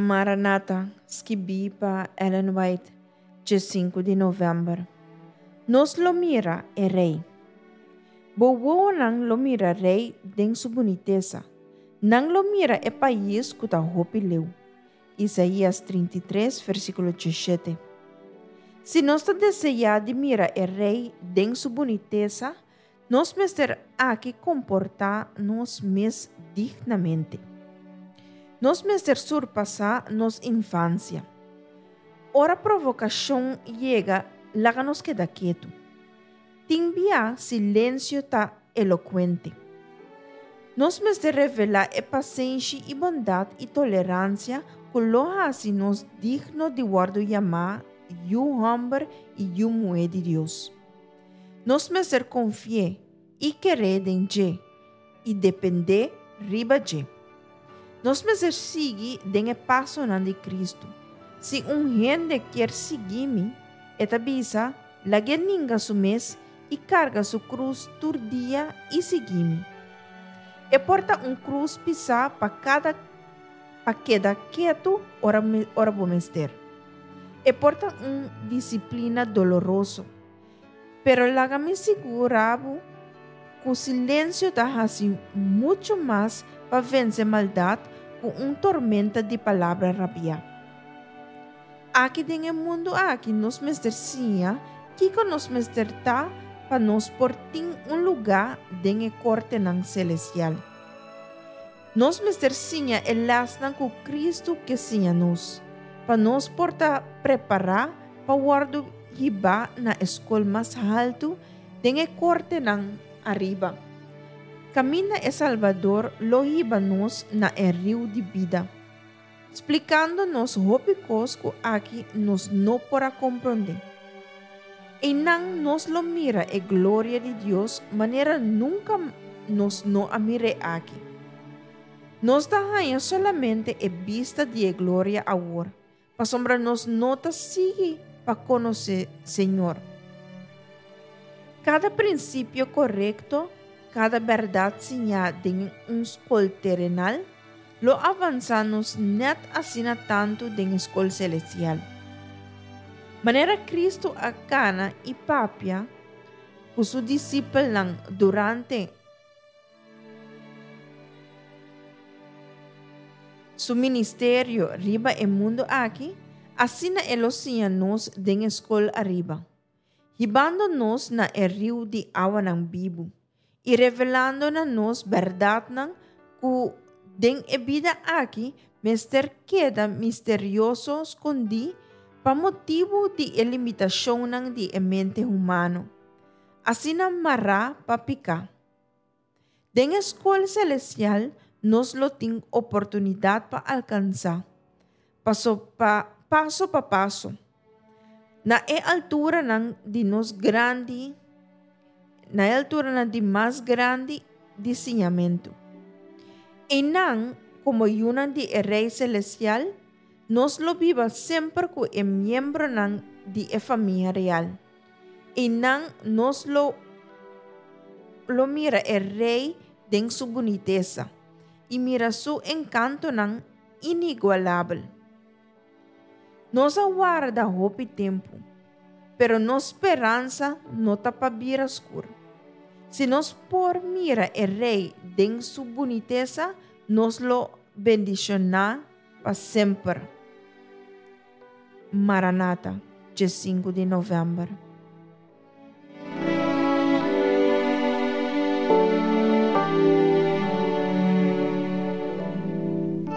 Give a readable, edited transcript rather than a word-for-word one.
Maranata, skibí pa Ellen White, djesinku di novèmber. Nos lo mira e Rei. Bo wowonan lo mira Rei den su bunitesa. Nan lo mira e pais ku ta hopi leu. Isaías 33, versíkulo 17. Si nos ta deseá di mira e Rei den su bunitesa, nos mester aki komportá nos mes dignamente. Nos mester surpasá nos infansia. Ora provokashon yega, laga nos keda ketu. Tin bia silensio ta elokuente. Nos mester revelá e pasenshi i bondat i toleransia ku lo hasi nos digno di wòrdu yamá yu hòmber i yu muhé di Dios. Nos mester konfi'é i ker'é den dje i dependé riba dje. Nos mester sigui den e pasonan di Kristu. Si un hende kier sigui mi, e ta bisa, lag'é ninga su mes i karga su krus tur dia i sigui mi. E por ta un krus pisá pa kada pa keda ketu ora ora bo mester. E por ta un disiplina doloroso. Pero laga mi sigurá bo ku silensio ta hasi muchu mas pa vense maldat ku un tormenta di palabra rabiá. Aki den e mundu aki nos mester siña kiko nos mester ta pa nos por tin un lugá den e kortenan selestial. Nos mester siña e lèsnan ku Kristu ke siña nos, pa nos por ta prepará pa wòrdu hibá na e skol mas haltu den e kortenan ariba, kaminda e Salbador lo hiba nos na e riu di bida, splikando nos hopi kos ku aki nos no por a komprondé. Einan nos lo mira e gloria di Dios manera nunka nos no a mir'é aki. Nos ta haña solamente e bista di e gloria awor, pasobra nos no ta sigui pa konosé Señor. Kada prinsipio korekto, kada bèrdat siñá den un skol terenal, lo avansá nos nèt asina tantu den e skol selestial. Manera Kristu a kana i papia ku su disipelnan durante su ministerio riba e mundu aki, asina e lo siña nos den e skol ariba, hibando nos na e riu di awanan bibu i revelando na nos bèrdatnan ku den e bida aki mester keda misterioso skondí pa motibu di e limitashonnan di e mente humano, asina mará pa piká. Den e skol selestial nos lo tin oportunidat pa alkansá, paso pa paso pa paso, na e alturanan di nos grandi, na e alturanan di mas grandi di siñamentu. Einan, komo yunan di e Rei Selestial, nos lo biba semper ku e miembronan di e famia real. Einan nos lo lo mira e Rei den su bunitesa i mira su enkantonan inigualabel. Nos a warda hopi tempu, pero nos speransa no ta pa bira skur. Si nos por mira e Rei den su bunitesa, nos lo bendishoná pa semper. Maranata, djesinku di novèmber.